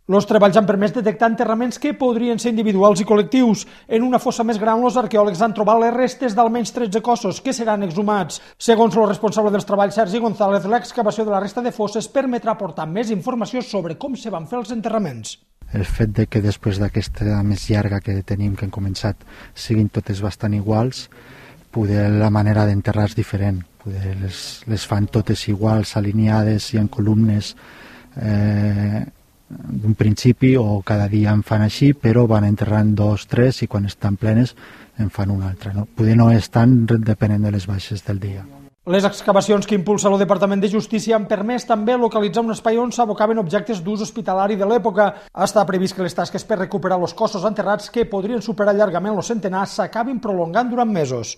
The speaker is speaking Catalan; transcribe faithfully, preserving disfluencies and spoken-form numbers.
Els treballs han permès detectar enterraments que podrien ser individuals i col·lectius. En una fossa més gran, els arqueòlegs han trobat les restes d'almenys tretze cossos que seran exhumats. Segons el responsable dels treballs, Sergi González, l'excavació de la resta de fosses permetrà aportar més informació sobre com se van fer els enterraments. El fet de que després d'aquesta més llarga que tenim, que hem començat, siguin totes bastant iguals, poder la manera d'enterrar és diferent. Poder les, les fan totes iguals, alineades i en columnes eh, d'un principi, o cada dia en fan així, però van enterrant dos, tres, i quan estan plenes en fan una altra. No? Poder no és tant depenent de les baixes del dia. Les excavacions que impulsa el Departament de Justícia han permès també localitzar un espai on s'abocaven objectes d'ús hospitalari de l'època. Està previst que les tasques per recuperar els cossos enterrats, que podrien superar llargament els centenars, s'acabin prolongant durant mesos.